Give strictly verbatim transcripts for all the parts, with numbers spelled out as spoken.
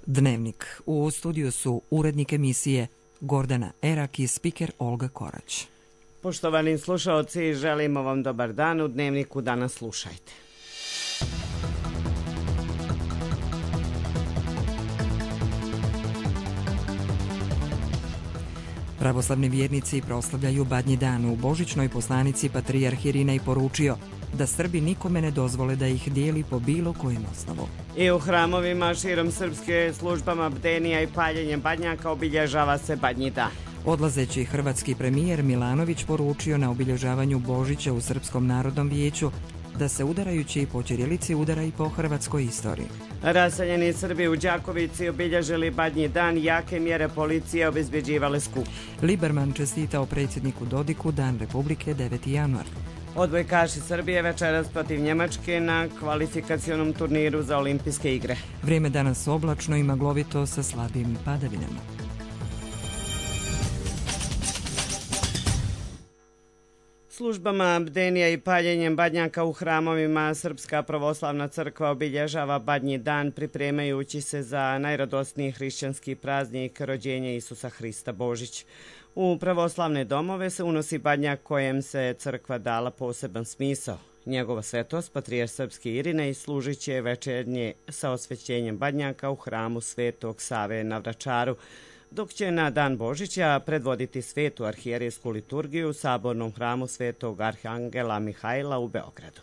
Dnevnik. U studiju su urednik emisije Gordana Erak i spiker Olga Korać. Poštovani slušaoci, želimo vam dobar dan. U Dnevniku danas slušajte. Pravoslavni vjernici proslavljaju Badnji dan. U božićnoj poslanici patrijarh Irinej poručio da Srbi nikome ne dozvole da ih dijeli po bilo kojem osnovu. I u hramovima širom Srpske službama bdenija i paljenjem badnjaka obilježava se Badnji dan. Odlazeći hrvatski premijer Milanović poručio na obilježavanju Božića u Srpskom narodnom vijeću da se udarajući po ćirilici udara i po hrvatskoj istoriji. Raseljeni Srbi u Đakovici obilježili Badnji dan, jake mjere policije obezbeđivale skup. Liberman čestitao predsjedniku Dodiku Dan Republike deveti januar. Odbojkaši Srbije večeras protiv Njemačke na kvalifikacionom turniru za olimpijske igre. Vrijeme danas oblačno i maglovito sa slabim padavinama. Službama bdenija i paljenjem badnjaka u hramovima Srpska pravoslavna crkva obilježava Badnji dan pripremajući se za najradosniji hrišćanski praznik rođenja Isusa Hrista Božić. U pravoslavne domove se unosi badnjak kojem se crkva dala poseban smisao. Njegova svetost, patrijarh srpski Irinej, služit će večernje sa osvećenjem badnjaka u hramu Svetog Save na Vračaru, dok će na dan Božića predvoditi svetu arhijerejsku liturgiju u sabornom hramu Svetog Arhangela Mihajla u Beogradu.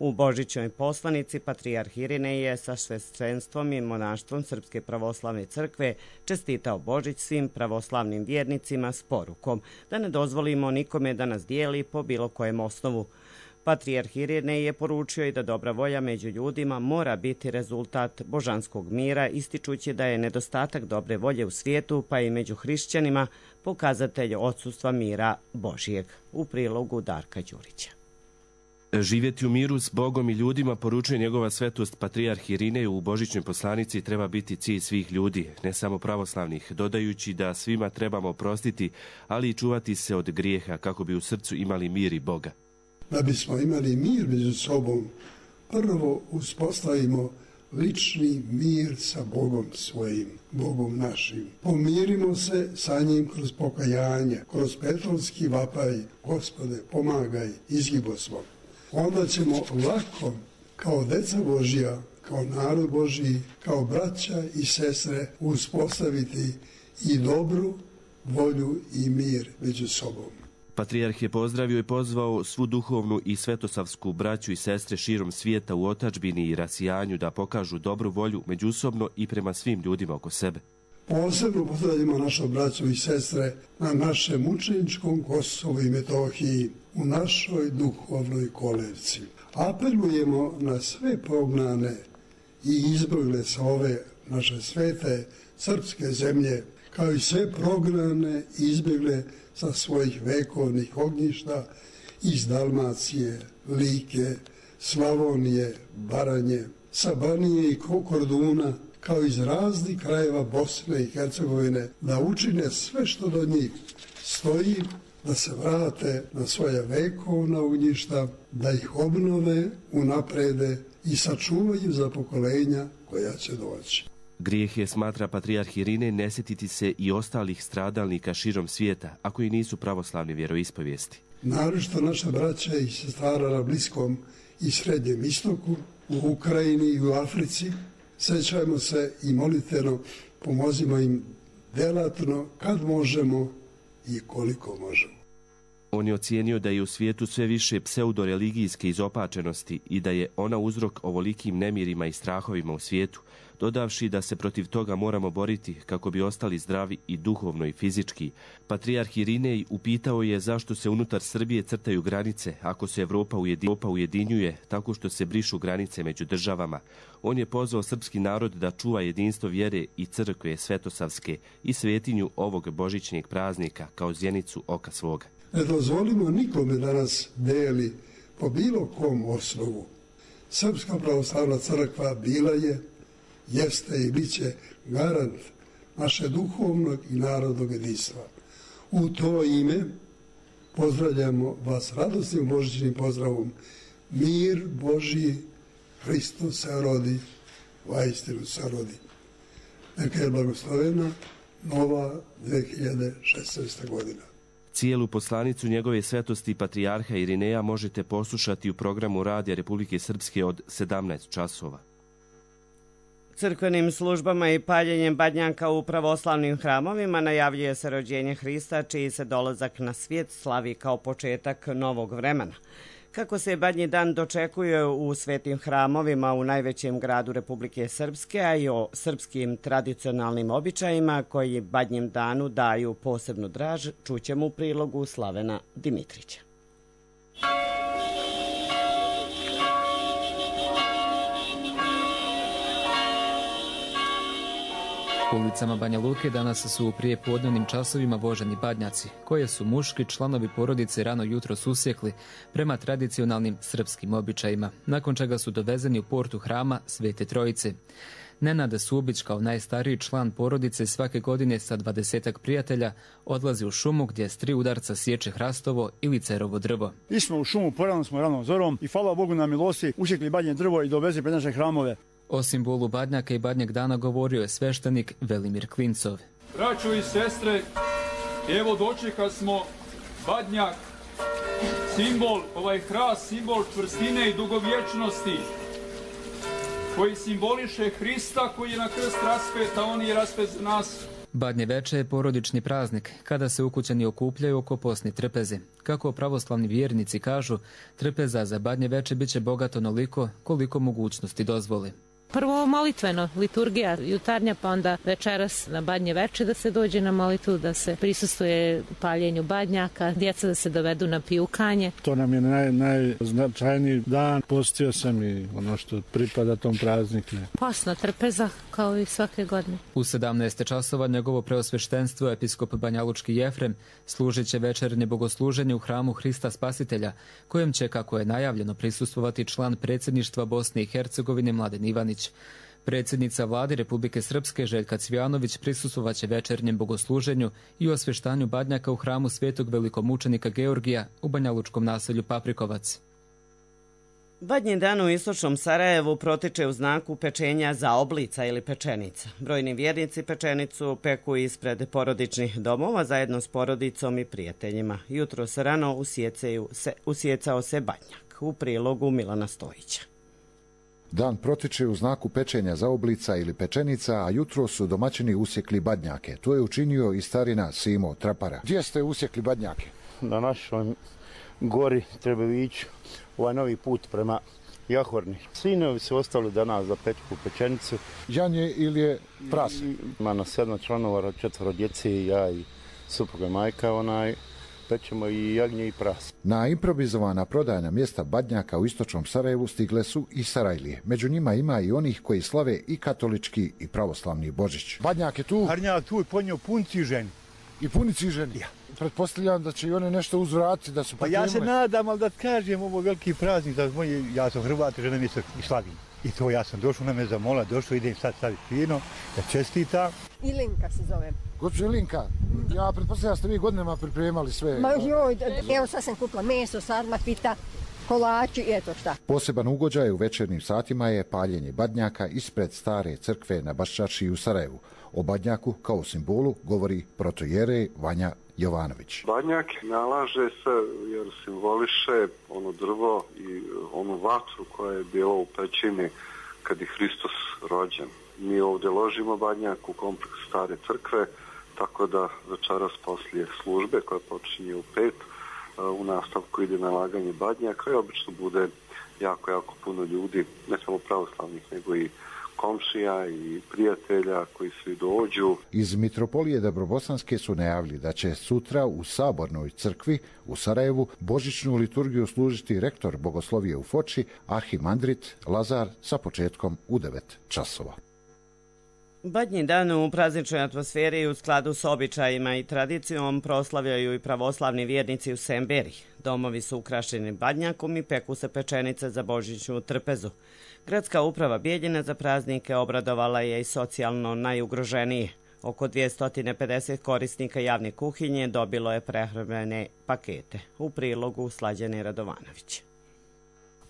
U božićnoj poslanici patrijarh Irinej je sa sveštenstvom i monaštvom Srpske pravoslavne crkve čestitao Božić svim pravoslavnim vjernicima s porukom da ne dozvolimo nikome da nas dijeli po bilo kojem osnovu. Patrijarh Irinej je poručio i da dobra volja među ljudima mora biti rezultat božanskog mira, ističući da je nedostatak dobre volje u svijetu, pa i među hrišćanima, pokazatelj odsustva mira Božijeg. U prilogu Darka Đurića. Živjeti u miru s Bogom i ljudima, poručuje njegova svetost patrijarh Irinej u božićnoj poslanici, treba biti cilj svih ljudi, ne samo pravoslavnih, dodajući da svima trebamo oprostiti, ali i čuvati se od grijeha kako bi u srcu imali mir i Boga. Da bismo imali mir među sobom, prvo uspostavimo lični mir sa Bogom svojim, Bogom našim. Pomirimo se sa njim kroz pokajanje, kroz petrovski vapaj, Gospode, pomagaj, izgibo svog. Onda ćemo lako, kao deca Božja, kao narod Božji, kao braća i sestre, uspostaviti i dobru volju i mir među sobom. Patrijarh je pozdravio i pozvao svu duhovnu i svetosavsku braću i sestre širom svijeta u otadžbini i rasijanju da pokažu dobru volju međusobno i prema svim ljudima oko sebe. Posebno pozdravljamo našu braću i sestre na našem mučeničkom Kosovu i Metohiji, u našoj duhovnoj kolevci. Apelujemo na sve prognane i izbjegle sa ove naše svete srpske zemlje, kao i sve prognane i izbjegle sa svojih vekovnih ognjišta iz Dalmacije, Like, Slavonije, Baranje, sa Banije i Korduna, kao iz raznih krajeva Bosne i Hercegovine, da učine sve što do njih stoji, da se vrate na svoja vekovna ognjišta, da ih obnove, unaprede i sačuvaju za pokolenja koja će doći. Grijeh je, smatra patrijarh Irinej, ne sjetiti se i ostalih stradalnika širom svijeta, a koji nisu pravoslavni vjeroispovijesti. Naročito naša braća i sestara na Bliskom i Srednjem istoku, u Ukrajini i u Africi, sećajmo se i molitveno pomozimo im delatno kad možemo i koliko možemo. On je ocijenio da je u svijetu sve više pseudoreligijske izopačenosti i da je ona uzrok ovolikim nemirima i strahovima u svijetu, dodavši da se protiv toga moramo boriti kako bi ostali zdravi i duhovno i fizički. Patrijarh Irinej upitao je zašto se unutar Srbije crtaju granice ako se Evropa ujedinjuje tako što se brišu granice među državama. On je pozvao srpski narod da čuva jedinstvo vjere i crkve svetosavske i svetinju ovog božićnjeg praznika kao zjenicu oka svoga. Ne dozvolimo nikome da nas deli po bilo kom osnovu. Srpska pravoslavna crkva bila je, jeste i bit će garant naše duhovnog i narodnog jedinstva. U to ime pozdravljamo vas radosnim božićnim pozdravom. Mir Božji, Hristos se rodi, vaistinu se rodi. Neka je blagoslovena nova dve hiljade šesnaesta godina. Cijelu poslanicu njegove svetosti patrijarha Irineja možete poslušati u programu Radija Republike Srpske od sedamnaest časova. Crkvenim službama i paljenjem badnjaka u pravoslavnim hramovima najavljuje se rođenje Hrista, čiji se dolazak na svijet slavi kao početak novog vremena. Kako se Badnji dan dočekuje u svetim hramovima u najvećem gradu Republike Srpske, a i o srpskim tradicionalnim običajima koji Badnjem danu daju posebnu draž, čućemo u prilogu Slavena Dimitrića. U ulicama Banja Luke danas su u prijepodnevnim časovima voženi badnjaci, koje su muški članovi porodice rano jutro susjekli prema tradicionalnim srpskim običajima, nakon čega su dovezeni u portu hrama Svete Trojice. Nenad Subić, kao najstariji član porodice, svake godine sa dvadesetak prijatelja odlazi u šumu gdje s tri udarca sječe hrastovo ili cerovo drvo. Išli smo u šumu, porano smo ranom zorom i hvala Bogu na milosti usjekli badnje drvo i doveze pred naše hramove. O simbolu badnjaka i badnjeg dana govorio je sveštenik Velimir Klincov. Braćo i sestre, evo dočeka smo badnjak, simbol, ovaj hrast, simbol čvrstine i dugovječnosti, koji simboliše Hrista koji je na krst raspet, a on je raspet za nas. Badnje veče je porodični praznik, kada se ukućani okupljaju oko posne trpeze. Kako pravoslavni vjernici kažu, trpeza za Badnje veče bit će bogato onoliko koliko mogućnosti dozvoli. Prvo molitveno, liturgija jutarnja, pa onda večeras na Badnje veče da se dođe na molitvu, da se prisustvuje paljenju badnjaka, djeca da se dovedu na pijukanje. To nam je naj, najznačajniji dan. Postio sam i ono što pripada tom prazniku. Posna trpeza, kao i svake godine. U sedamnaest časova njegovo preosveštenstvo episkop Banjalučki Jefrem služit će večernje bogosluženje u hramu Hrista Spasitelja, kojem će, kako je najavljeno, prisustvovati član predsjedništva Bosne i Hercegovine Mladen Ivanić. Predsjednica vlade Republike Srpske Željka Cvijanović prisustvovat će večernjem bogosluženju i osvještanju badnjaka u hramu Svetog velikomučenika Georgija u banjalučkom naselju Paprikovac. Badnji dan u istočnom Sarajevu protiče u znaku pečenja zaoblica ili pečenica. Brojni vjernici pečenicu peku ispred porodičnih domova zajedno s porodicom i prijateljima. Jutro se rano usjecaju se, usjecao se badnjak. U prilogu Milana Stojića. Dan protiče u znaku pečenja zaoblica ili pečenica, a jutro su domaćini usjekli badnjake. To je učinio i starina Simo Trapara. Gdje ste usjekli badnjake? Na našoj gori Trebeviću, ovaj novi put prema Jahorni. Sinovi su ostali danas za pečku pečenicu. Janje ili je prase? Ima na sedam članova, četvoro djece, ja i supruga majka, onaj, pečemo i jagnje i prase. Na improvizovana prodajna mjesta badnjaka u istočnom Sarajevu stigle su i Sarajlije. Među njima ima i onih koji slave i katolički i pravoslavni Božić. Badnjak je tu? Harnjak tu i ponio pun ciženi. I puni ciženi? Ja. Pretpostavljam da će i one nešto uzvratiti, da su pa ja se nadam, ali da kažem, ovo veliki praznik, da moji, ja sam Hrvat, žena mi se i slavim. I to ja sam došao, ona me zamola, došao, idem sad staviti vino, da čestita. Ilinka se zovem. Gospođo Ilinka, ja pretpostavljam da ste vi godinama pripremali sve. Ma joj, evo sad sam kupila meso, sarmakvita, kolači i eto šta. Poseban ugođaj u večernjim satima je paljenje badnjaka ispred stare crkve na Baščaršiji u Sarajevu. O badnjaku kao simbolu govori protojerej Vanja Jovanović. Badnjak nalaže se jer simboliše ono drvo i onu vatru koja je bila u pećini kad je Hristos rođen. Mi ovdje ložimo badnjak u kompleks stare crkve, tako da večeras poslije službe koja počinje u pet, u nastavku ide nalaganje badnjaka i obično bude jako, jako puno ljudi, ne samo pravoslavnih, nego i komšija i prijatelja koji svi dođu. Iz Mitropolije Dobrobosanske su najavili da će sutra u Sabornoj crkvi u Sarajevu božićnu liturgiju služiti rektor Bogoslovije u Foči, arhimandrit Lazar, sa početkom u devet časova. Badnji dan u prazničnoj atmosferi u skladu s običajima i tradicijom proslavljaju i pravoslavni vjernici u Semberi. Domovi su ukrašeni badnjakom i peku se pečenice za božićnu trpezu. Gradska uprava Bijeljina za praznike obradovala je i socijalno najugroženije. Oko dvjesto pedeset korisnika javne kuhinje dobilo je prehrambene pakete. U prilogu Slađane Radovanović.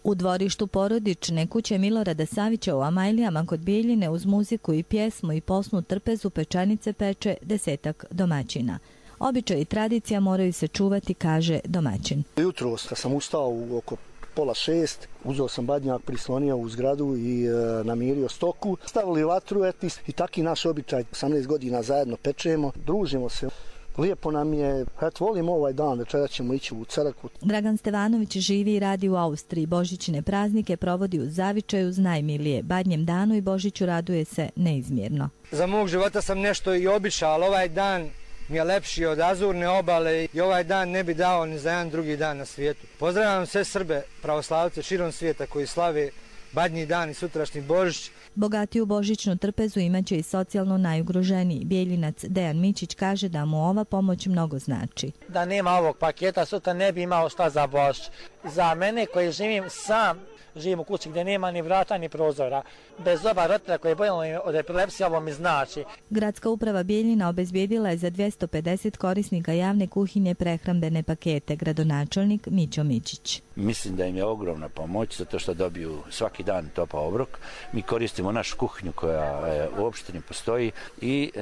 U dvorištu porodične kuće Milorada Savića u Amajlijama kod Bijeljine uz muziku i pjesmu i posnu trpezu pečenice peče desetak domaćina. Običaj i tradicija moraju se čuvati, kaže domaćin. Jutro sam ustao u oko pola šest, uzeo sam badnjak, prislonio u zgradu i e, namirio stoku. Stavili vatru etis i taki naš običaj. osamnaest godina zajedno pečemo, družimo se. Lijepo nam je, eto, volimo ovaj dan, večera ćemo ići u crkvu. Dragan Stevanović živi i radi u Austriji. Božićne praznike provodi u zavičaju uz najmilije. Badnjem danu i Božiću raduje se neizmjerno. Za mog života sam nešto i običao, ali ovaj dan mi je lepši od Azurne obale i ovaj dan ne bi dao ni za jedan drugi dan na svijetu. Pozdravljam sve Srbe, pravoslavce širom svijeta koji slave Badnji dan i sutrašnji Božić. Bogatiju božićnu trpezu imaće i socijalno najugroženiji. Bijeljinac Dejan Mičić kaže da mu ova pomoć mnogo znači. Da nema ovog paketa, sutra ne bi imao šta za Božić. Za mene koji živim sam, živim u kući gdje nema ni vrata ni prozora. Bez oba roditelja koji je boljen od epilepsije, ovo mi znači. Gradska uprava Bijeljina obezbijedila je za dvjesto pedeset korisnika javne kuhinje prehrambene pakete. Gradonačelnik Mićo Mičić. Mislim da im je ogromna pomoć zato što dobiju svaki dan topao obrok. Mi koristimo našu kuhinju koja e, u opštini postoji i e,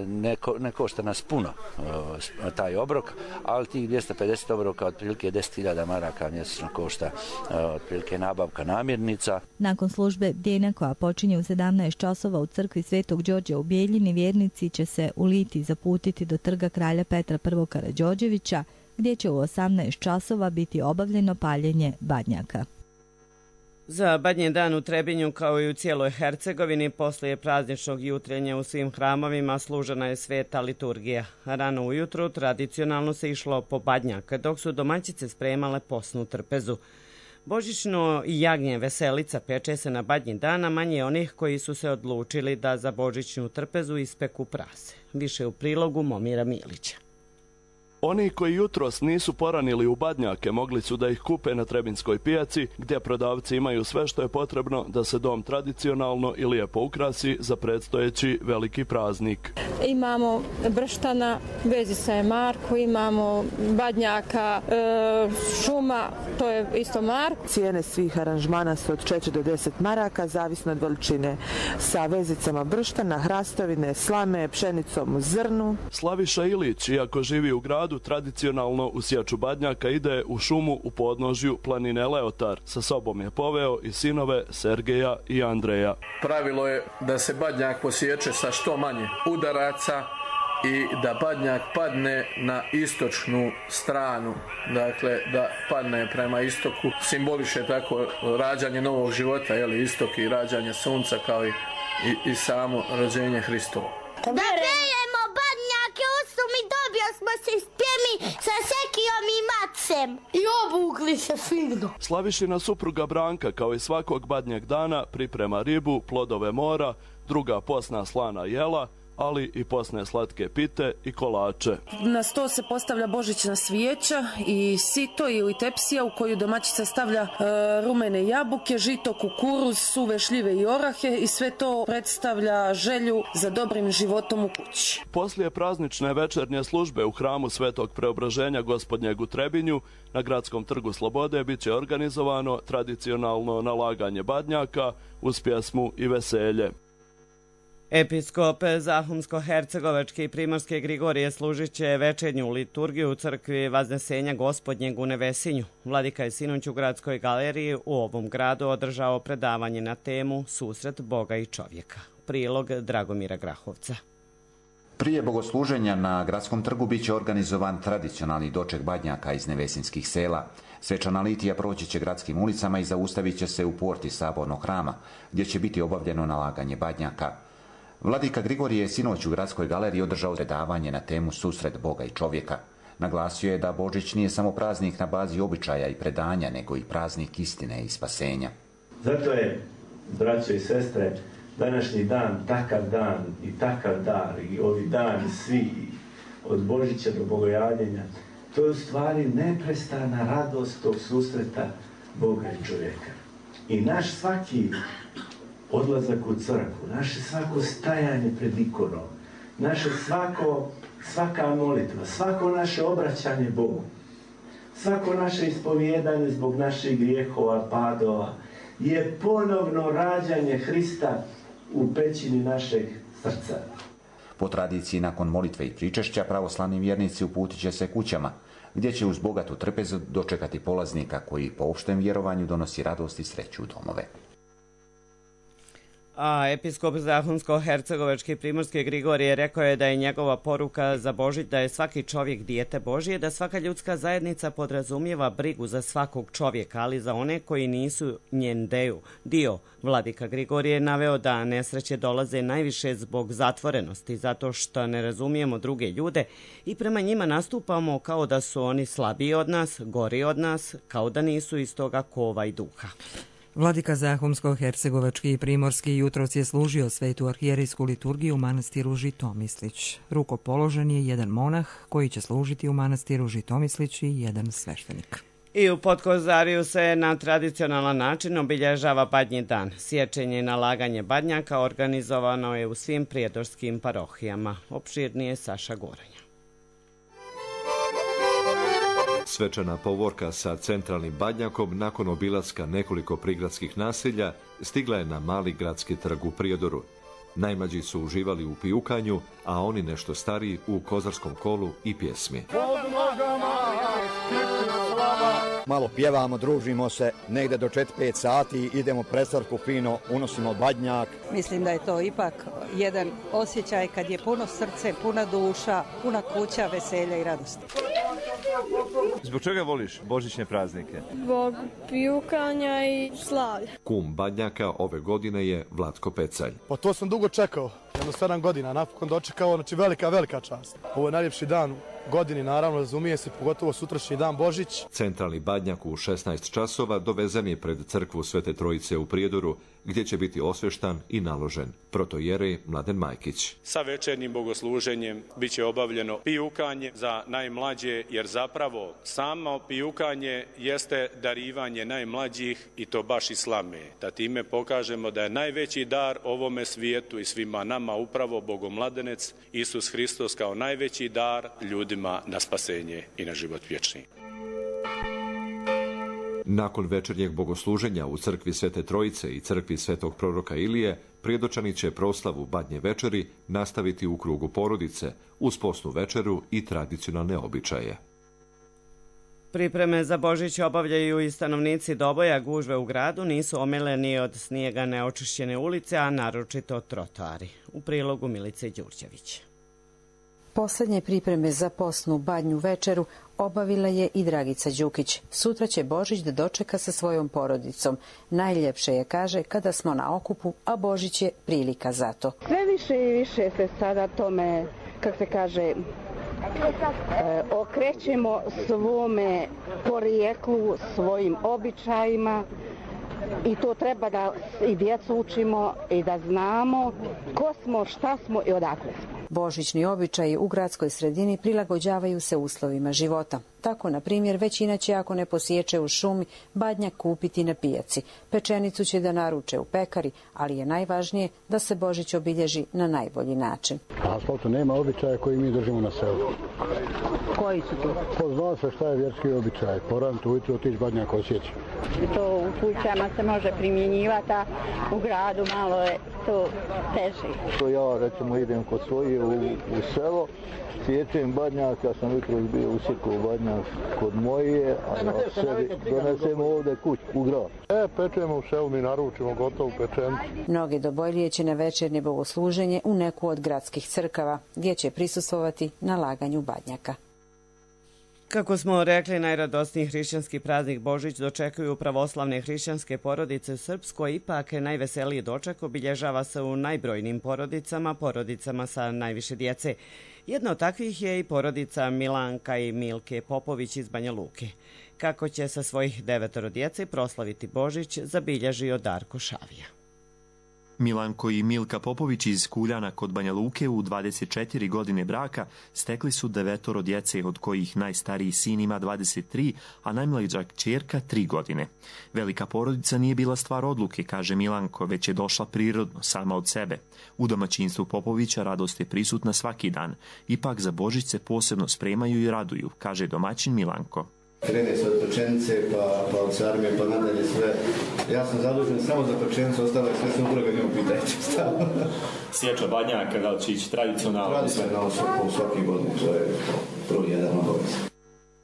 ne, ko, ne košta nas puno e, taj obrok, ali tih dvjesto pedeset obroka otprilike deset hiljada maraka mjesečno košta e, otprilike nabavka namirnica. Nakon službe bdjenja koja počinje u sedamnaest časova u crkvi Svetog Đorđa u Bijeljini, vjernici će se u Liti zaputiti do trga kralja Petra I. Karađorđevića, gdje će u osamnaest časova biti obavljeno paljenje badnjaka. Za Badnji dan u Trebinju, kao i u cijeloj Hercegovini, poslije prazničnog jutrenja u svim hramovima služena je sveta liturgija. Rano ujutru tradicionalno se išlo po badnjak, dok su domaćice spremale posnu trpezu. Božićno jagnje veselica peče se na Badnji dan, a manje onih koji su se odlučili da za božićnu trpezu ispeku prase. Više u prilogu Momira Milića. Oni koji jutros nisu poranili u badnjake mogli su da ih kupe na Trebinskoj pijaci, gdje prodavci imaju sve što je potrebno da se dom tradicionalno i lijepo ukrasi za predstojeći veliki praznik. Imamo brštana, vezica je marku, imamo badnjaka, e, šuma, to je isto marku. Cijene svih aranžmana su od četiri do deset maraka, zavisno od veličine, sa vezicama brštana, hrastovine, slame, pšenicom u zrnu. Slaviša Ilić, iako živi u gradu, tradicionalno u sječu badnjaka ide u šumu u podnožju planine Leotar. Sa sobom je poveo i sinove Sergeja i Andreja. Pravilo je da se badnjak posječe sa što manje udaraca i da badnjak padne na istočnu stranu, dakle da padne prema istoku, simboliše tako rađanje novog života, jeli, istok i rađanje sunca kao i, i, i samo rođenje Hristovo. Da pejemo badnjake, usum i dobio smo se spjemi sa sekijom i macem. I obukli se fino. Slavišina supruga Branka, kao i svakog badnjeg dana, priprema ribu, plodove mora, druga posna slana jela, ali i posne slatke pite i kolače. Na sto se postavlja božićna svijeća i sito ili tepsija u koju domaćica stavlja e, rumene jabuke, žito, kukuruz, suve šljive i orahe i sve to predstavlja želju za dobrim životom u kući. Poslije praznične večernje službe u hramu Svetog Preobraženja Gospodnjeg u Trebinju na Gradskom trgu Slobode bit će organizovano tradicionalno nalaganje badnjaka uz pjesmu i veselje. Episkop Zahumsko-Hercegovačke i Primorske Grigorije služit će večernju liturgiju u crkvi Vaznesenja Gospodnjeg u Nevesinju. Vladika je sinoć u Gradskoj galeriji u ovom gradu održao predavanje na temu Susret Boga i čovjeka. Prilog Dragomira Grahovca. Prije bogosluženja na Gradskom trgu bit će organizovan tradicionalni doček badnjaka iz nevesinskih sela. Svečana litija proći će gradskim ulicama i zaustavit će se u porti Sabornog hrama, gdje će biti obavljeno nalaganje badnjaka. Vladika Grigorije je sinoć u Gradskoj galeriji održao predavanje na temu Susret Boga i čovjeka. Naglasio je da Božić nije samo praznik na bazi običaja i predanja, nego i praznik istine i spasenja. Zato je, braćo i sestre, današnji dan takav dan i takav dar i ovi dani svi od Božića do Bogojavljenja, to je u stvari neprestana radost tog susreta Boga i čovjeka. I naš svaki odlazak u crkvu, naše svako stajanje pred ikonom, naše svako, svaka molitva, svako naše obraćanje Bogu, svako naše ispovjedanje zbog naših grijehova, padova, je ponovno rađanje Hrista u pećini našeg srca. Po tradiciji, nakon molitve i pričešća, pravoslavni vjernici uputit će se kućama, gdje će uz bogatu trpezu dočekati polaznika koji po opštem vjerovanju donosi radost i sreću u domove. A episkop Zahumsko-hercegovački primorski Grigorije rekao je da je njegova poruka za Božić da je svaki čovjek dijete Božije, da svaka ljudska zajednica podrazumijeva brigu za svakog čovjeka, ali za one koji nisu njen deo, dio. Vladika Grigorije je naveo da nesreće dolaze najviše zbog zatvorenosti, zato što ne razumijemo druge ljude i prema njima nastupamo kao da su oni slabiji od nas, gori od nas, kao da nisu iz toga kova i duha. Vladika Zahumsko-hercegovački i primorski jutros je služio svetu arhijerijsku liturgiju u manastiru Žitomislić. Rukopoložen je jedan monah koji će služiti u manastiru Žitomislić i jedan sveštenik. I u Podkozariju se na tradicionalan način obilježava Badnji dan. Sječenje i nalaganje badnjaka organizovano je u svim prijedorskim parohijama. Opširnije Saša Goranja. Svečana povorka sa centralnim badnjakom nakon obilaska nekoliko prigradskih naselja stigla je na mali gradski trg u Prijedoru. Najmlađi su uživali u pijukanju, a oni nešto stariji u kozarskom kolu i pjesmi. Malo pjevamo, družimo se, negde do četiri pet sati, idemo presarku fino, unosimo badnjak. Mislim da je to ipak jedan osjećaj kad je puno srce, puna duša, puna kuća, veselja i radosti. Zbog čega voliš božićne praznike? Zbog pijukanja i slavlja. Kum badnjaka ove godine je Vlatko Pecalj. Pa to sam dugo čekao, jedno sedam godina, napokon dočekao, znači velika, velika čast. Ovo je najljepši dan godini, naravno, razumije se, pogotovo sutrašnji dan Božić. Centralni badnjak u šesnaest časova dovezan je pred crkvu Svete Trojice u Prijedoru, gdje će biti osveštan i naložen. Protojerej Mladen Majkić. Sa večernjim bogosluženjem bit će obavljeno pijukanje za najmlađe, jer zapravo samo pijukanje jeste darivanje najmlađih i to baš i slame. Da time pokažemo da je najveći dar ovome svijetu i svima nama upravo Bogomladenec Isus Hristos kao najveći dar ljudima na spasenje i na život vječni. Nakon večernjeg bogosluženja u crkvi Svete Trojice i crkvi Svetog proroka Ilije, Prijedočani će proslavu Badnje večeri nastaviti u krugu porodice uz posnu večeru i tradicionalne običaje. Pripreme za Božić obavljaju i stanovnici Doboja. Gužve u gradu nisu omeleni od snijega neočišćene ulice, a naročito trotoari. U prilogu Milice Đurđević. Poslednje pripreme za posnu Badnju večeru obavila je i Dragica Đukić. Sutra će Božić da dočeka sa svojom porodicom. Najljepše je, kaže, kada smo na okupu, a Božić je prilika za to. Sve više i više se sada tome, kako se kaže, e, okrećemo svome porijeklu, svojim običajima. I to treba da i djecu učimo i da znamo ko smo, šta smo i odakle smo. Božićni običaji u gradskoj sredini prilagođavaju se uslovima života. Tako, na primjer, većina će, ako ne posječe u šumi, badnjak kupiti na pijaci. Pečenicu će da naruče u pekari, ali je najvažnije da se Božić obilježi na najbolji način. Asfaltu nema običaja koji mi držimo na selu. Koji su to? Pa zna se šta je vjerski običaj. Porantu ujutro otići badnjak osjeći. To u kućama se može primjenjivati, a u gradu malo je to teže. To ja, recimo, idem kod svoje u, u selo, sječem badnjak, ja sam jutro bio usjekao badnjak kod moje, a ja sebi donesemo ovdje kuć u grad. E, pečemo u selu, mi naručimo gotovu pečenicu. Mnoge Dobojlije će na večernje bogosluženje u neku od gradskih crkava, gdje će prisustvovati na laganju badnjaka. Kako smo rekli, najradosniji hrišćanski praznik Božić dočekuju pravoslavne hrišćanske porodice u Srpskoj, ipak najveseliji doček obilježava se u najbrojnim porodicama, porodicama sa najviše djece. Jedna od takvih je i porodica Milanka i Milke Popović iz Banja Luke. Kako će sa svojih devetoro djece proslaviti Božić, zabilježio Darko Šavija. Milanko i Milka Popović iz Kuljana kod Banja Luke u dvadeset četiri godine braka stekli su devetoro djece, od kojih najstariji sin ima dvadeset tri, a najmlađa kćerka tri godine. Velika porodica nije bila stvar odluke, kaže Milanko, već je došla prirodno, sama od sebe. U domaćinstvu Popovića radost je prisutna svaki dan. Ipak za Božić se posebno spremaju i raduju, kaže domaćin Milanko. Krene se od pečenice, pa, pa od sarme, pa nadalje sve. Ja sam zadužen samo za pečenicu, ostalo je sve supruga, ne upitajte stavno. Sječa badnjaka, da li će ići tradicionalno? Tradicionalno svaki, svaki godin, to je prvi jedan obavez.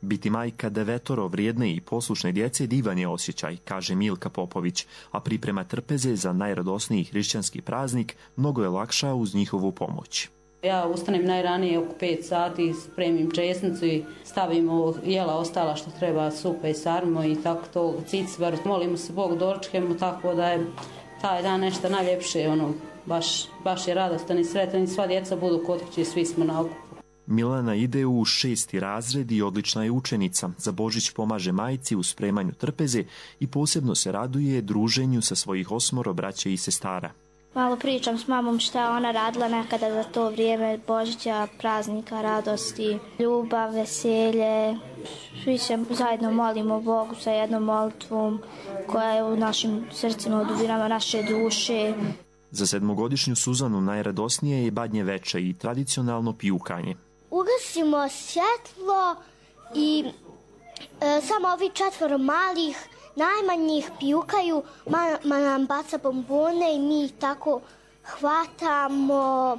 Biti majka devetoro vrijedne i poslušne djece divan je osjećaj, kaže Milka Popović, a priprema trpeze za najradosniji hrišćanski praznik mnogo je lakša uz njihovu pomoć. Ja ustanem najranije oko pet sati, spremim česnicu i stavim ovo jela ostala što treba, supe i sarmo i tako to, cicvar. Molimo se Bogu, dočekamo, tako da je taj dan nešto najljepše, ono, baš, baš je radostan i sretan i sva djeca budu kod kuće, svi smo na okupu. Milana ide u šesti razred i odlična je učenica. Za Božić pomaže majci u spremanju trpeze i posebno se raduje druženju sa svojih osmoro braće i sestara. Malo pričam s mamom šta ona radila nekada za to vrijeme Božića, praznika, radosti, ljubav, veselje. Svi se zajedno molimo Bogu sa jednom molitvom koja je u našim srcima, u dubinama naše duše. Za sedmogodišnju Suzanu najradosnije je badnje veče i tradicionalno pijukanje. Ugasimo svjetlo i e, samo ovi četvoro malih najmanjih pijukaju, mama nam baca bombone i mi ih tako hvatamo.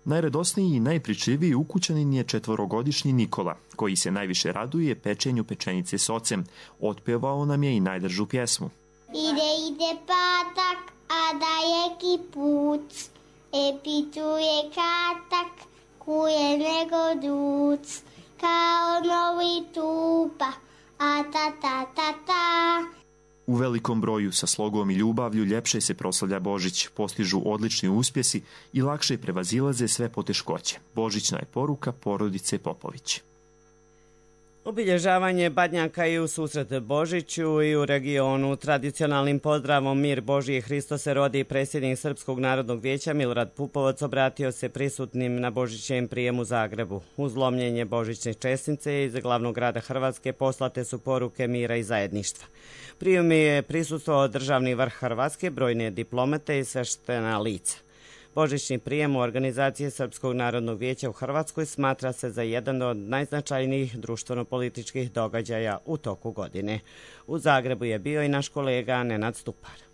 Najradosniji i najpričljiviji ukućanin je četvorogodišnji Nikola, koji se najviše raduje pečenju pečenice s ocem. Otpevao nam je i najdržu pjesmu. Ide, ide patak, a da je kipuc, e pituje katak, kuje nego duc, kao novi tupa, a ta ta ta ta. U velikom broju sa slogom i ljubavlju ljepše se proslavlja Božić, postižu odlični uspjesi i lakše prevazilaze sve poteškoće. Božićna je poruka porodice Popović. Obilježavanje badnjaka i u susret Božiću i u regionu. Tradicionalnim pozdravom Mir Božji Hristo se rodi, predsjednik Srpskog narodnog vijeća Milorad Pupovac obratio se prisutnim na božićnijem prijemu u Zagrebu. Uz lomljenje božićne česnice iz glavnog grada Hrvatske poslate su poruke mira i zajedništva. Prijem je prisustvovao državni vrh Hrvatske, brojne diplomate i sveštena lica. Božićni prijem u organizaciji Srpskog narodnog vijeća u Hrvatskoj smatra se za jedan od najznačajnijih društveno-političkih događaja u toku godine. U Zagrebu je bio i naš kolega Nenad Stupar.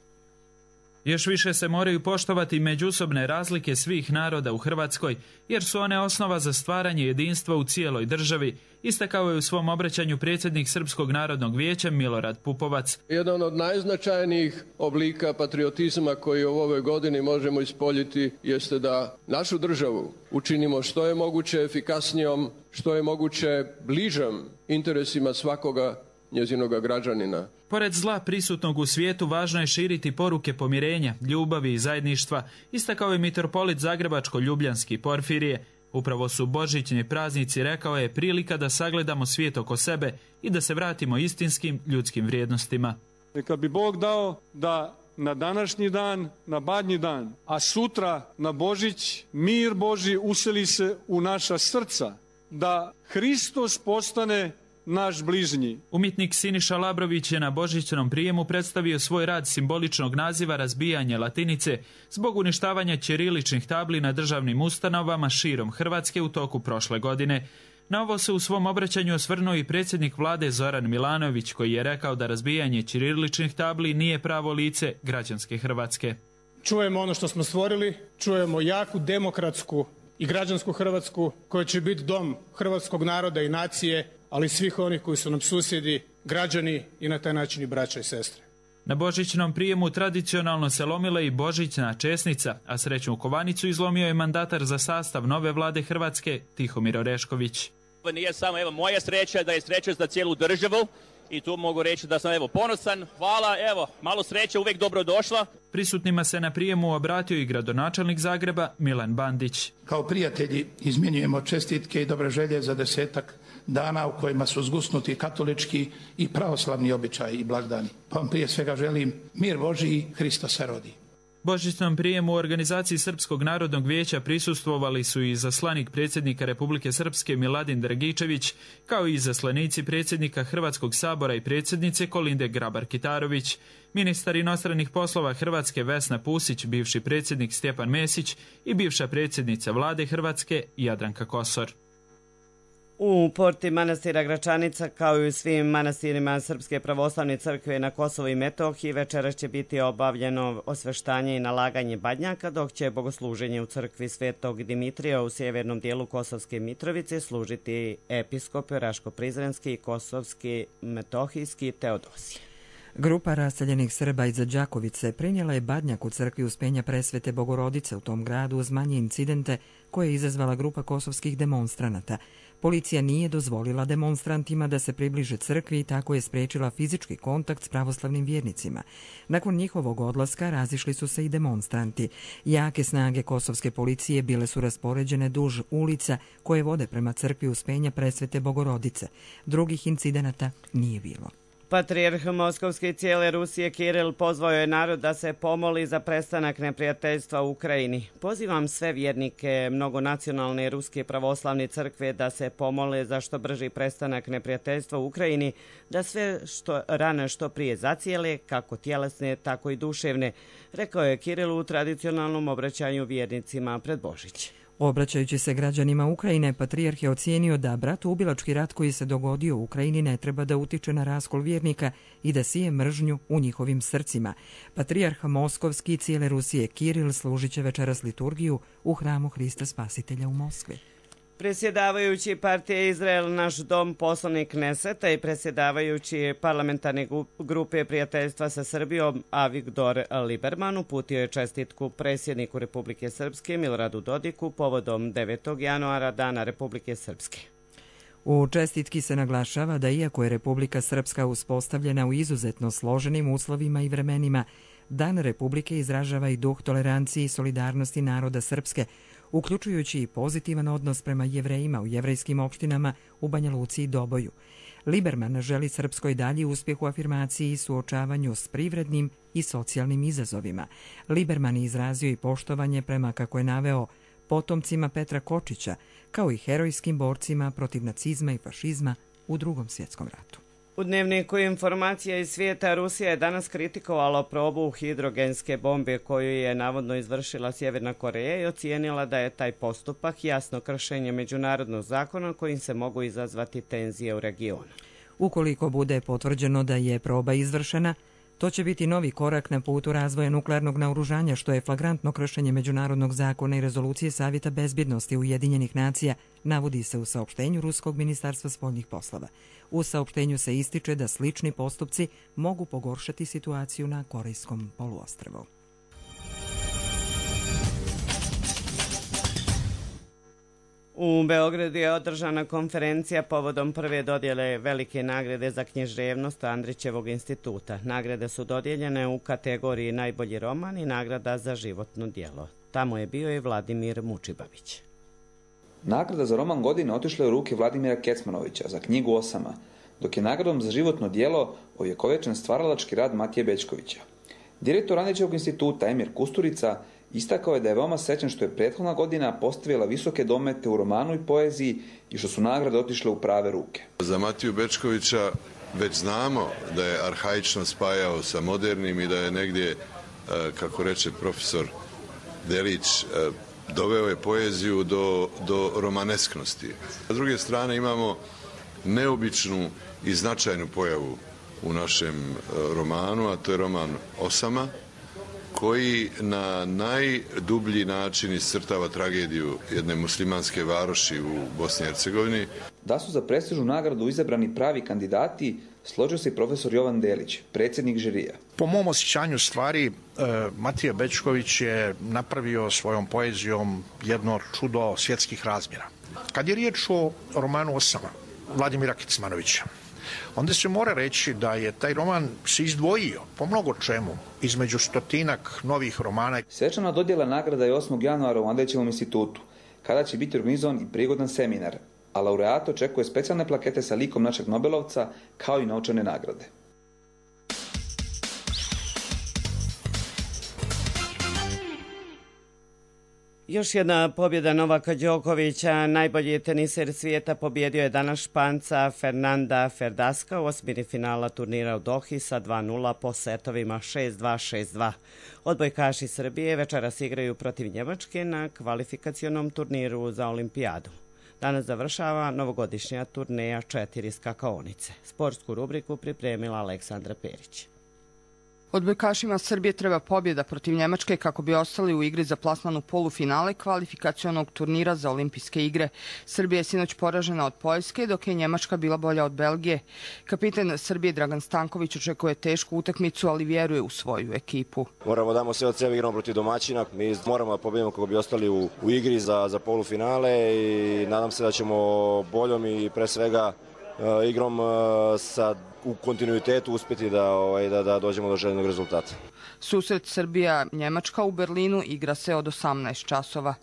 Još više se moraju poštovati međusobne razlike svih naroda u Hrvatskoj, jer su one osnova za stvaranje jedinstva u cijeloj državi, istakao je u svom obraćanju predsjednik Srpskog narodnog vijeća Milorad Pupovac. Jedan od najznačajnijih oblika patriotizma koji u ovoj godini možemo ispoljiti jeste da našu državu učinimo što je moguće efikasnijom, što je moguće bližom interesima svakoga njezinoga građanina. Pored zla prisutnog u svijetu, važno je širiti poruke pomirenja, ljubavi i zajedništva, istakao je mitropolit Zagrebačko-Ljubljanski Porfirije. Upravo su božićni praznici, rekao je, prilika da sagledamo svijet oko sebe i da se vratimo istinskim ljudskim vrijednostima. Neka bi Bog dao da na današnji dan, na badnji dan, a sutra na Božić, mir Božji useli se u naša srca, da Hristos postane naš bližnji. Umjetnik Siniša Labrović je na božićnom prijemu predstavio svoj rad simboličnog naziva Razbijanje latinice zbog uništavanja ćiriličnih tabli na državnim ustanovama širom Hrvatske u toku prošle godine. Na ovo se u svom obraćanju osvrnuo i predsjednik vlade Zoran Milanović, koji je rekao da razbijanje ćiriličnih tabli nije pravo lice građanske Hrvatske. Čujemo ono što smo stvorili, čujemo jaku demokratsku i građansku Hrvatsku koja će biti dom hrvatskog naroda i nacije, ali svih onih koji su nam susjedi, građani i na taj način i braća i sestre. Na božićnom prijemu tradicionalno se lomila i božićna česnica, a srećnu kovanicu izlomio je mandatar za sastav nove vlade Hrvatske Tihomir Orešković. Ovo nije samo evo moja sreća, da je sreća za cijelu državu i tu mogu reći da sam evo ponosan. Hvala, evo, malo sreće, uvijek dobro došla. Prisutnima se na prijemu obratio i gradonačelnik Zagreba Milan Bandić. Kao prijatelji izmjenjujemo čestitke i dobre želje za desetak dana u kojima su zgusnuti katolički i pravoslavni običaji i blagdani. Pa vam prije svega želim mir Božji, Hristo se rodi. Božićnom prijemu u organizaciji Srpskog narodnog vijeća prisustvovali su i izaslanik predsjednika Republike Srpske Miladin Dragičević, kao i izaslanici predsjednika Hrvatskog sabora i predsjednice Kolinde Grabar-Kitarović, ministar inostranih poslova Hrvatske Vesna Pusić, bivši predsjednik Stjepan Mesić i bivša predsjednica vlade Hrvatske Jadranka Kosor. U porti manastira Gračanica, kao i u svim manastirima Srpske pravoslavne crkve na Kosovu i Metohiji, večeras će biti obavljeno osveštanje i nalaganje badnjaka, dok će bogosluženje u crkvi Svetog Dimitrija u sjevernom dijelu Kosovske Mitrovice služiti episkop Raško-Prizrenski i Kosovski Metohijski Teodosije. Grupa raseljenih Srba iz Đakovice prinijela je badnjak u crkvi Uspenja Presvete Bogorodice u tom gradu uz manje incidente koje je izazvala grupa kosovskih demonstranata. Policija nije dozvolila demonstrantima da se približe crkvi i tako je spriječila fizički kontakt s pravoslavnim vjernicima. Nakon njihovog odlaska razišli su se i demonstranti. Jake snage kosovske policije bile su raspoređene duž ulica koje vode prema crkvi Uspenja Presvete Bogorodice. Drugih incidenata nije bilo. Patrijarh Moskovske i cijele Rusije Kiril pozvao je narod da se pomoli za prestanak neprijateljstva u Ukrajini. Pozivam sve vjernike mnogonacionalne Ruske pravoslavne crkve da se pomole za što brži prestanak neprijateljstva u Ukrajini, da sve što rane što prije zacijele, kako tjelesne, tako i duševne, rekao je Kiril u tradicionalnom obraćanju vjernicima pred Božić. Obraćajući se građanima Ukrajine, patrijarh je ocijenio da bratoubilački rat koji se dogodio u Ukrajini ne treba da utiče na raskol vjernika i da sije mržnju u njihovim srcima. Patrijarh Moskovski i cijele Rusije Kiril služit će večeras liturgiju u hramu Hrista Spasitelja u Moskvi. Predsjedavajući partije Izrael Naš dom, poslanik Kneseta i predsjedavajući parlamentarne grupe prijateljstva sa Srbijom Avigdor Liberman uputio je čestitku predsjedniku Republike Srpske Miloradu Dodiku povodom devetog januara Dana Republike Srpske. U čestitki se naglašava da iako je Republika Srpska uspostavljena u izuzetno složenim uslovima i vremenima, Dan Republike izražava i duh tolerancije i solidarnosti naroda Srpske, uključujući i pozitivan odnos prema Jevrejima u jevrejskim opštinama u Banja Luci i Doboju. Liberman želi Srpskoj dalji uspjeh u afirmaciji i suočavanju s privrednim i socijalnim izazovima. Liberman je izrazio i poštovanje prema, kako je naveo, potomcima Petra Kočića, kao i herojskim borcima protiv nacizma i fašizma u Drugom svjetskom ratu. U dnevniku informacija iz svijeta Rusija je danas kritikovala probu hidrogenske bombe koju je navodno izvršila Sjeverna Koreja i ocijenila da je taj postupak jasno kršenje međunarodnog zakona kojim se mogu izazvati tenzije u regionu. Ukoliko bude potvrđeno da je proba izvršena, to će biti novi korak na putu razvoja nuklearnog naoružanja, što je flagrantno kršenje međunarodnog zakona i rezolucije Savjeta bezbjednosti Ujedinjenih nacija, navodi se u saopštenju Ruskog ministarstva spoljnih poslova. U saopštenju se ističe da slični postupci mogu pogoršati situaciju na Korejskom poluostrvu. U Beogradu je održana konferencija povodom prve dodjele velike nagrade za književnost Andrićevog instituta. Nagrade su dodijeljene u kategoriji najbolji roman i nagrada za životno djelo. Tamo je bio i Vladimir Mučibavić. Nagrada za roman godine otišla je u ruke Vladimira Kecmanovića za knjigu Osama, dok je nagradom za životno djelo ovjekovečen stvaralački rad Matije Bećkovića. Direktor Andrićevog instituta Emir Kusturica istakao je da je veoma srećan što je prethodna godina postavila visoke domete u romanu i poeziji i što su nagrade otišle u prave ruke. Za Matiju Bećkovića već znamo da je arhaično spajao sa modernim i da je negdje, kako reče profesor Delić, doveo je poeziju do, do romanesknosti. S druge strane imamo neobičnu i značajnu pojavu u našem romanu, a to je roman Osama, koji na najdublji način iscrtava tragediju jedne muslimanske varoši u Bosni i Hercegovini. Da su za prestižnu nagradu izabrani pravi kandidati, složio se i profesor Jovan Delić, predsjednik žirija. Po mom osjećanju stvari, Matija Bećković je napravio svojom poezijom jedno čudo svjetskih razmjera. Kad je riječ o romanu Osama Vladimira Kecmanovića, onda se mora reći da je taj roman se izdvojio po mnogo čemu između stotinak novih romana. Svečana dodjela nagrada je osmog januara u Andrićevom institutu, kada će biti organizovan i prigodan seminar, a laureat očekuje specijalne plakete sa likom našeg Nobelovca, kao i novčane nagrade. Još jedna pobjeda Novaka Đokovića, najbolji teniser svijeta, pobjedio je danas Španca Fernanda Ferdaska u osmini finala turnira u Dohi sa dva nula po setovima šest dva šest dva. Odbojkaši Srbije večeras igraju protiv Njemačke na kvalifikacionom turniru za olimpijadu. Danas završava novogodišnja turneja četiri skakaonice. Sportsku rubriku pripremila Aleksandra Perić. Odbojkašima Srbije treba pobjeda protiv Njemačke kako bi ostali u igri za plasman u polufinale kvalifikacionog turnira za olimpijske igre. Srbija je sinoć poražena od Poljske, dok je Njemačka bila bolja od Belgije. Kapitan Srbije Dragan Stanković očekuje tešku utakmicu, ali vjeruje u svoju ekipu. Moramo damo sve od sebe, igramo protiv domaćina. Mi moramo da pobjedimo kako bi ostali u, u igri za, za polufinale i nadam se da ćemo boljom i pre svega uh, igrom uh, sa u kontinuitetu uspjeti da, ovaj, da, da dođemo do željenog rezultata. Susret Srbija-Njemačka u Berlinu igra se od osamnaest časova.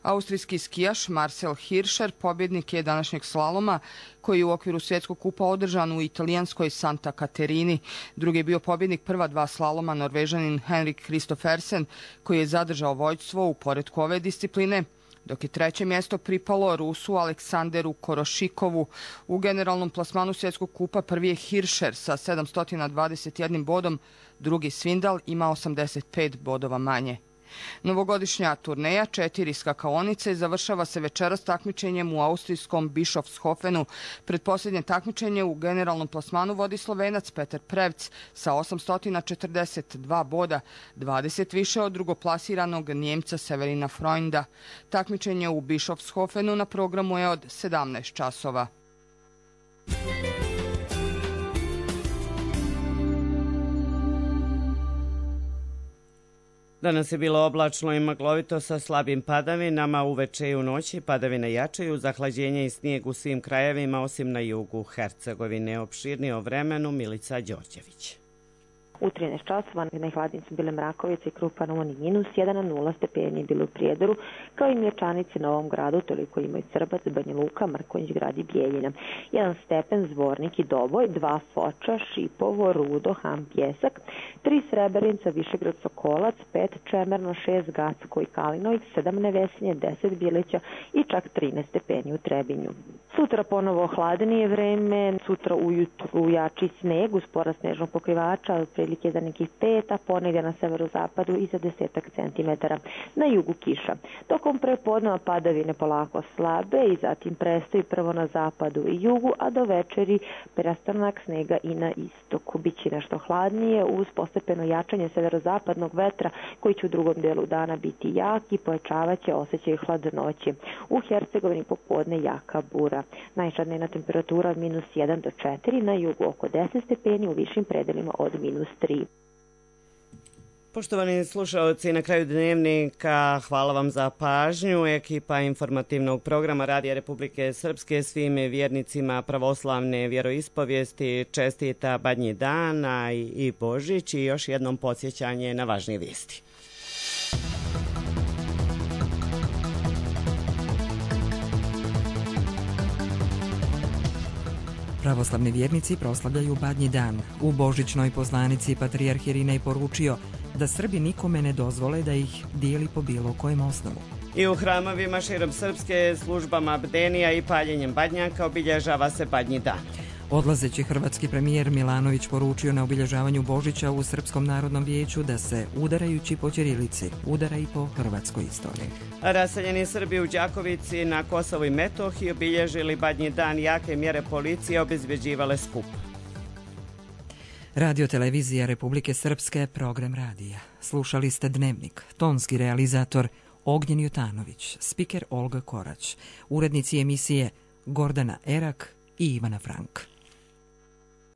Austrijski skijaš Marcel Hirscher pobjednik je današnjeg slaloma koji je u okviru svjetskog kupa održan u italijanskoj Santa Caterini. Drugi je bio pobjednik prva dva slaloma Norvežanin Henrik Kristoffersen koji je zadržao vođstvo u poretku ove discipline, dok je treće mjesto pripalo Rusu Aleksanderu Korošikovu. U generalnom plasmanu svjetskog kupa prvi je Hirscher sa sedamsto dvadeset jedan bodom, drugi Svindal ima osamdeset pet bodova manje. Novogodišnja turneja četiri skakaonice završava se večeras takmičenjem u austrijskom Bischofshofenu. Predposljednje takmičenje u generalnom plasmanu vodi Slovenac Petar Prevc sa osamsto četrdeset dva boda, dvadeset više od drugoplasiranog Njemca Severina Freunda. Takmičenje u Bischofshofenu na programu je od sedamnaest časova. Danas je bilo oblačno i maglovito sa slabim padavinama, uveče i u noći padavine jačaju, zahlađenje i snijeg u svim krajevima osim na jugu Hercegovine. Opširnije o vremenu Milica Đorđević. U trinaest časova najhladnije su bile Mrakovice i Krupan Umani minus jedan, a nula stepeni bilo u Prijedoru, kao i Mječanici, Novom Gradu, toliko imaju Crbac, Banja Luka, Mrkonjić Grad i Bijeljina. jedan stepen Zvornik i Doboj, dva Foča, Šipovo, Rudo, Ham, Pjesak, tri Srebrenica, Višegrad, Sokolac, pet Čemerno, šest Gacko i Kalinoj, sedam Nevesinje, deset Bilića i čak trinaest stepeni u Trebinju. Sutra ponovo hladnije vreme, sutra ujutru jači sneg uz porast snežnog pokrivača, otprilike za nekih pet, a ponegdje na severozapadu i za desetak centimetara. Na jugu kiša. Tokom prepodneva padavine polako slabe i zatim prestaju prvo na zapadu i jugu, a do večeri prestanak snega i na istoku. Biće nešto hladnije uz postepeno jačanje severozapadnog vetra koji će u drugom delu dana biti jak i pojačavaće osjećaj hladnoće. U Hercegovini popodne jaka bura. Najčadnija temperatura od minus jedan do četiri, na jugu oko deset stepeni, u višim predelima od minus tri. Poštovani slušalci, na kraju dnevnika hvala vam za pažnju. Ekipa informativnog programa Radija Republike Srpske svim vjernicima pravoslavne vjeroispovijesti čestita Badnji dan i Božić i još jednom podsjećanje na važnije vijesti. Pravoslavni vjernici proslavljaju Badnji dan. U božićnoj poslanici patrijarh Irinej poručio da Srbi nikome ne dozvole da ih dijeli po bilo kojem osnovu. I u hramovima širom Srpske službama bdenija i paljenjem badnjaka obilježava se Badnji dan. Odlazeći hrvatski premijer Milanović poručio na obilježavanju Božića u Srpskom narodnom vijeću da se, udarajući po ćirilici, udara i po hrvatskoj istoriji. Raseljeni Srbi u Đakovici na Kosovu i Metohiji obilježili Badnji dan, jake mjere policije obezbeđivale skup. Radio televizija Republike Srpske, program radija. Slušali ste Dnevnik, tonski realizator Ognjen Jutanović, spiker Olga Korać, urednici emisije Gordana Erak i Ivana Frank.